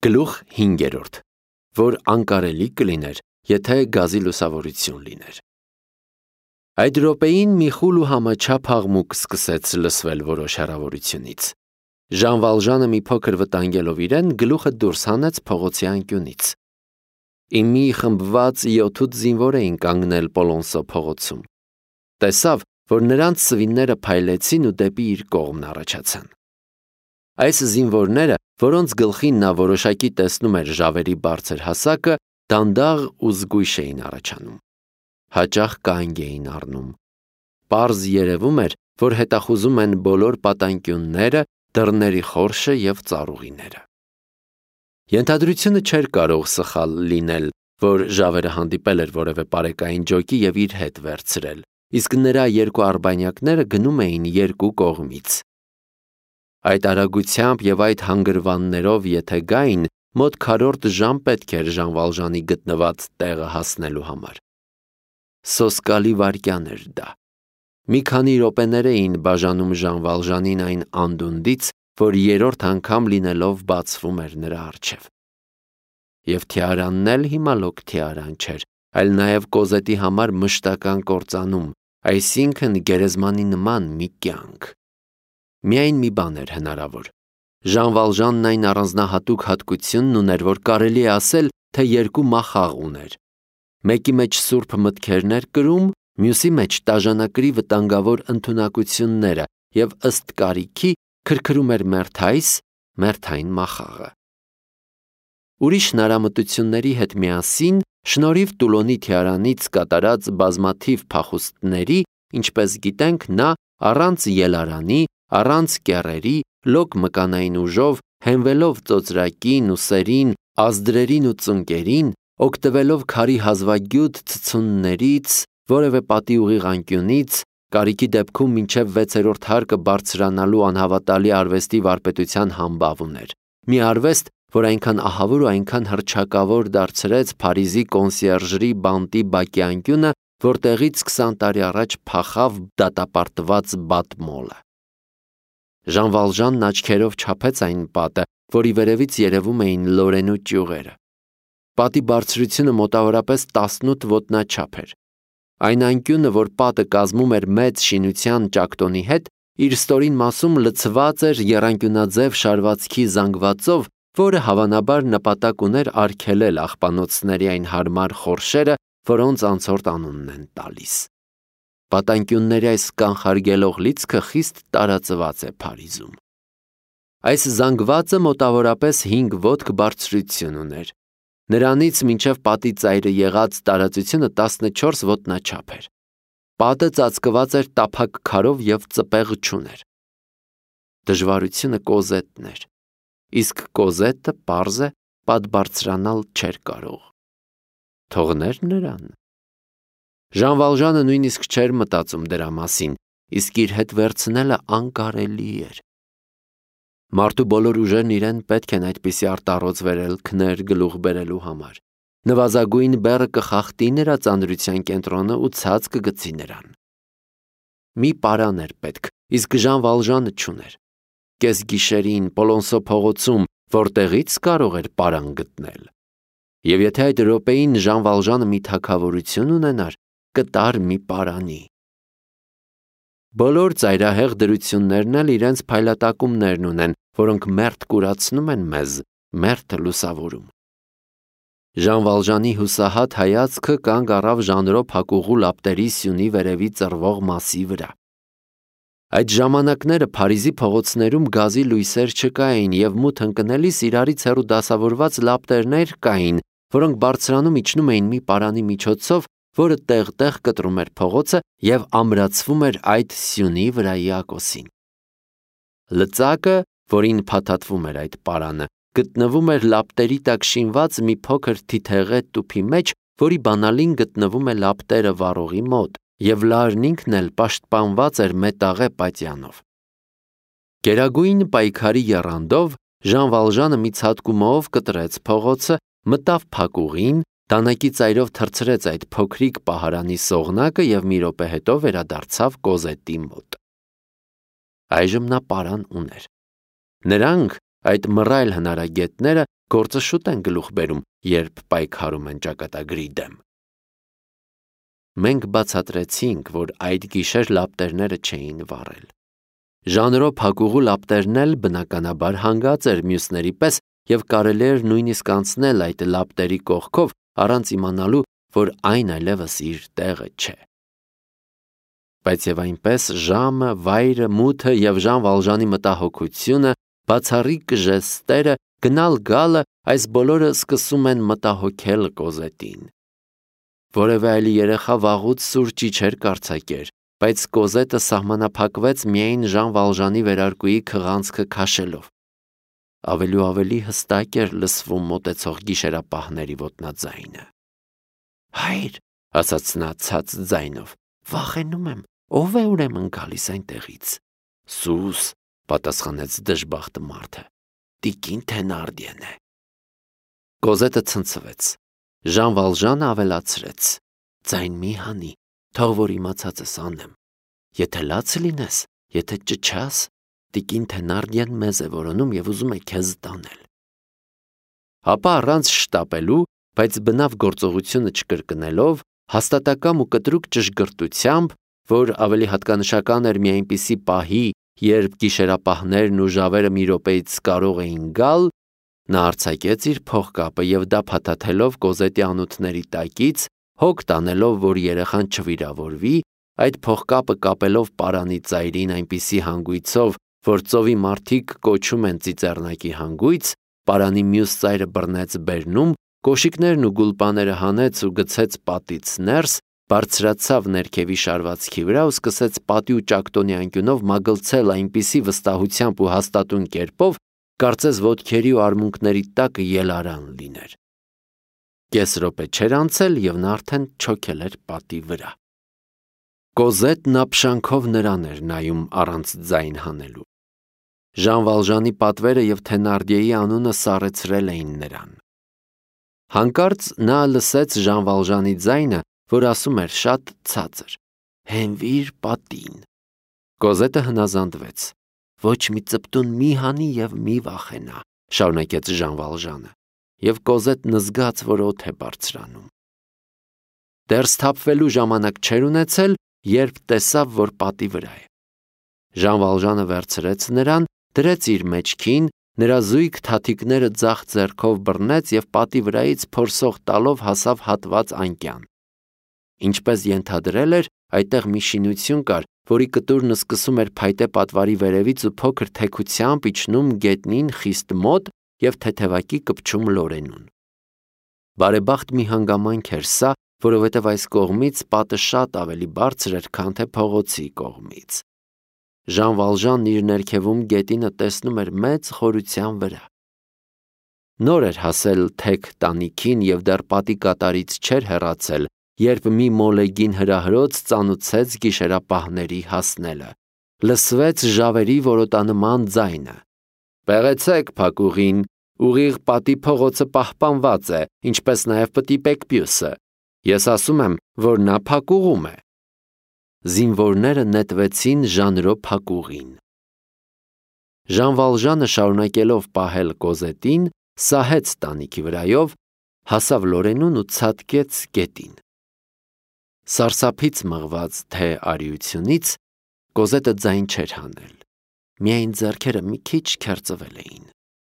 Գլուխ 5, որ անկարելի կլիներ, եթե գազի լուսավորություն լիներ։ Այդ րոպեին մի խուլ ու համաչափ աղմուկ սկսեց լսվել որոշ հեռավորությունից։ Ժան Վալժանը մի փոքր վտանգելով իրեն, գլուխը դուրս հանեց փողոցի անկյունից։ Մի խմբված 7-8 զինվոր էին կանգնել Պոլոնսո փողոցում։ Տեսավ, որ նրանց սվինները փայլեցին ու դեպի իր կողմն առաջացան։ Այս զինվորները, որոնց գլխին նա որոշակի տեսնում էր ժավերի բարձր հասակը, դանդաղ ու զգույշ էին առաջանում։ Հաճախ կանգ էին առնում։ Պարզ երևում էր, որ հետախուզում են բոլոր պատանկյունները, դռների խորշը և ծառուղիները։ Ենթադրությունը չէր կարող սխալ լինել, որ ժավերը հանդիպել էր որևէ պարեկային ջոկի և իր հետ վերցրել, իսկ նրա երկու արբանյակները գնում էին երկու կողմից։ Այդ արագությամբ և այդ հանգրվաններով եթե գային, մոտ քառորդ ժամ պետք էր Ժան Վալժանի գտնված տեղը հասնելու համար։ Սոսկալի վայրկյան էր դա։ Մի քանի րոպեներ էին բաժանում Ժան Վալժանին այն անդունդից, որ երրորդ անգամ լինելով բացվում էր նրա առջև։ Եվ թիարանն էլ հիմա լոկ թիարան չէր, այլ նաև Կոզետի համար մշտական կործանում, այսինքն գերեզմանի նման մի կյանք։ Միայն մի բան էր հնարավոր։ Ժան Վալժանն այն առանձնահատուկ հատկությունն ուներ, որ կարելի է ասել, թե երկու մախաղ ուներ։ Մեկի մեջ սուրբ մտքերն էր կրում, մյուսի մեջ տաժանակրի վտանգավոր ընդունակությունները և ըստ կարիքի քրքրում էր մերթային մախաղը։ Ուրիշ հնարամտությունների հետ միասին, շնորհիվ Տուլոնի թիարանից կատարած բազմաթիվ փախուստների, ինչպես գիտենք, նա առանց ելարանի, առանց կեռերի, լոկ մկանային ուժով, հենվելով ծոծրակին ու սերին, ազդրերին ու ծնկերին, օգտվելով քարի հազվագյուտ ցցուններից, որևէ պատի ուղիղ անկյունից, կարիքի դեպքում մինչև 6-րդ հարկը բարձրանալու անհավատալի արվեստի վարպետության համբավ ուներ։ Մի արվեստ, որ այնքան ահավոր ու այնքան հռչակավոր դարձրեց Փարիզի կոնսիերժրի բանտի բակի անկյունը, որտեղից 20 տարի առաջ փախավ դատապարտված Բատմոլը։ Ժան Վալժանն աչքերով չափեց այն պատը, որի վերևից երևում էին Լորենու ճյուղերը։ Պատի բարձրությունը մոտավորապես 18 ոտնաչափ էր։ Այն անկյունը, որ պատը կազմում էր մեծ շինության ճակտոնի հետ, իր ստորին մասում լցված էր եռանկյունաձև շարվածքի զանգվածով, որը հավանաբար նպատակ ուներ արգելել աղբանոցների այն հարմար խորշերը, որոնց անցորդ անունն են տալիս։ Պատանկյունների այս կանխարգելող լիցքը խիստ տարածված է Փարիզում։ Այս զանգվածը մոտավորապես 5 ոտք բարձրություն ուներ։ Նրանից մինչև պատի ծայրը եղած տարածությունը 14 ոտնաչափ էր։ Պատը ծածկված էր տափակ քարով և ծպեղ չուներ։ Դժվարությունը Կոզետն էր, իսկ Կոզետը, պարզ է, պատ բարձրանալ չէր կարող։ Թողներ նրան։ Ժան Վալժանը նույնիսկ չէր մտածում դրա մասին, իսկ իր հետ վերցնելը անկարելի էր։ Մարդու բոլոր ուժերն իրեն պետք են այդպիսի արտառոց վերելքներ գլուխ բերելու համար։ Նվազագույն բեռը կխախտի նրա ծանրության կենտրոնը ու ցած կգցի նրան։ Մի պարան էր պետք, իսկ Ժան Վալժանը չուներ։ Կեսգիշերին Պոլոնսո փողոցում որտեղից կարող էր պարան գտնել։ Եվ եթե այդ րոպեին Ժան Վալժանը մի թագավորություն ունենար, կտար մի պարանի։ Բոլոր ծայրահեղ դրություններն էլ իրենց փայլատակումներն ունեն, որոնք մերթ կուրացնում են մեզ, մերթը լուսավորում։ Ժան Վալժանի հուսահատ հայացքը կանգ առավ ժանրո փակուղու լապտերի սյունի վերևի ծռվող մասի վրա։ Այդ ժամանակները Փարիզի փողոցներում գազի լույսեր չկային և մութ ընկնելիս իրարից հեռու դասավորված լապտերներ կային, որոնք բարձրանում իջնում էին մի պարանի միջոցով, որը տեղ-տեղ կտրում էր փողոցը և ամրացվում էր այդ սյունի վրայի ակոսին։ Լծակը, որին փաթաթվում էր այդ պարանը, գտնվում էր լապտերի տակ շինված մի փոքր թիթեղե տուփի մեջ, որի բանալին գտնվում է լապտերը վառողի մոտ, և լարն ինքն էլ պաշտպանված էր մետաղե պատյանով։ Գերագույն պայքարի եռանդով Ժան Վալժանը մի ցատկումով կտրեց փողոցը, մտավ փակուղին, դանակի ծայրով թռցրեց այդ փոքրիկ պահարանի սողնակը և մի րոպե հետո վերադարձավ Կոզետի մոտ։ Այժմ նա պարան ուներ։ Նրանք, այդ մռայլ հնարագետները գործը շուտ են գլուխ բերում, երբ պայքարում են ճակատագրի դեմ։ Մենք բացատրեցինք, որ այդ գիշեր լապտերները չէին վառել։ Ժանրո փակուղու լապտերն էլ բնականաբար հանգած էր մյուսների պես և կարելի էր նույնիսկ անցնել այդ լապտերի կողքով առանց իմանալու, որ այն այլևս իր տեղը չէ։ Բայց և այնպես ժամը, վայրը, մութը և Ժան Վալժանի մտահոգությունը, բացառիկ ժեստերը, գնալ-գալը, այս բոլորը սկսում են մտահոգել Կոզետին։ Որևէ այլ երեխա վաղուց սուրճի չէր կարձակեր, բայց Կոզետը սահմանափակվեց միայն Ժան Վալժանի վերարկուի քղանցքը քաշելով։ Ավելի ու ավելի հստակ էր լսվում մոտեցող գիշերապահների ոտնաձայնը։ «Հայր», ասաց նա ցած ձայնով, «վախենում եմ, ով է ուրեմն գալիս այնտեղից»։ «Սուս», պատասխանեց դժբախտը մարդը, «տիկին Թենարդիեն է»։ Կոզետը ցնցվեց։ Ժան Վալժանը ավելացրեց. «Ձայն մի հանի, թող որ իմացածս անեմ։ Եթե լաց լինես, եթե ճչաս, տիկին Թենարդիեն մեզ է որոնում և ուզում է քեզ տանել»։ Ապա առանց շտապելու, բայց բնավ գործողությունը չկրկնելով, հաստատակամ ու կտրուկ ճշգրտությամբ, որ ավելի հատկանշական էր մի այնպիսի պահի, երբ գիշերապահներն ու ժավերը մի րոպեից կարող էին գալ, նա արձակեց իր փողկապը և դա փաթաթելով Կոզետի անոթների տակից, հոգ տանելով, որ երեխան չվիրավորվի, այդ փողկապը կապելով պարանի ծայրին այնպիսի հանգույցով, որ ծովի մարդիկ կոչում են ծիծեռնակի հանգույց, պարանի մյուս ծայրը բռնեց բերնում, կոշիկներն ու գուլպաները հանեց ու գցեց պատից ներս, բարձրացավ ներքևի շարվածքի վրա ու սկսեց պատի ու ճակտոնի անկյունով մագլցել այնպիսի վստահությամբ ու հաստատուն կերպով, կարծես ոտքերի ու արմունկների տակը ելարան լիներ։ Կես րոպե չէր անցել, և նա արդեն չոքել էր պատի վրա։ Կոզետն ապշանքով նրան էր նայում առանց ձայն հանելու։ Ժան Վալժանի պատվերը և Թենարդիեի անունը սառեցրել էին նրան։ Հանկարծ նա լսեց Ժան Վալժանի ձայնը, որ ասում էր շատ ցածր. «Հենվիր պատին»։ Կոզետը հնազանդվեց։ «Ոչ մի ծպտուն մի հանի և մի վախենա», շարունակեց Ժան Վալժանը, և Կոզետն զգաց, որ օդ է բարձրանում։ Դեռ սթափվելու ժամանակ չէր ունեցել, երբ տեսավ, որ պատի վրա է։ Ժան Վալժանը վերցրեց նրան, դրեց իր մեջքին, նրա զույգ թաթիկները ձախ ձեռքով բռնեց և պատի վրայից փորսող տալով հասավ հատված անկյան։ Ինչպես ենթադրել էր, այդտեղ մի շինություն կար, որի կտուրն սկսում էր փայտե պատվարի վերևից ու փոքր թեքությամբ իջնում գետնին խիստ մոտ և թեթևակի կպչում Լորենուն։ Բարեբախտ մի հանգամանք էր սա, որովհետև այս կողմից պատը շատ ավելի բարձր էր, քան թե փողոցի կողմից։ Ժան Վալժանն իր ներքևում գետինը տեսնում էր մեծ խորության վրա։ Նոր էր հասել թեք տանիքին և դեռ պատի կատարից չէր հեռացել, երբ մի մոլեգին հրահրոց ծանուցեց գիշերապահների հասնելը։ Լսվեց ժավերի որոտանման ձայնը. «Պեղեցեք փակուղին, ուղիղ պատի փողոցը պահպանված է, ինչպես նաև պտիպեք պյուսը։ Ես ասում եմ, որ նա փակուղում է»։ Զինվորները նետվեցին Ժանրո փակուղին։ Ժան Վալժանը շարունակելով պահել Կոզետին, սահեց տանիքի վրայով, հասավ Լորենուն ու ցատկեց գետին։ Սարսափից մղված թե արիությունից Կոզետը ձայն չէր հանել, միայն ձեռքերը մի քիչ քերծվել էին։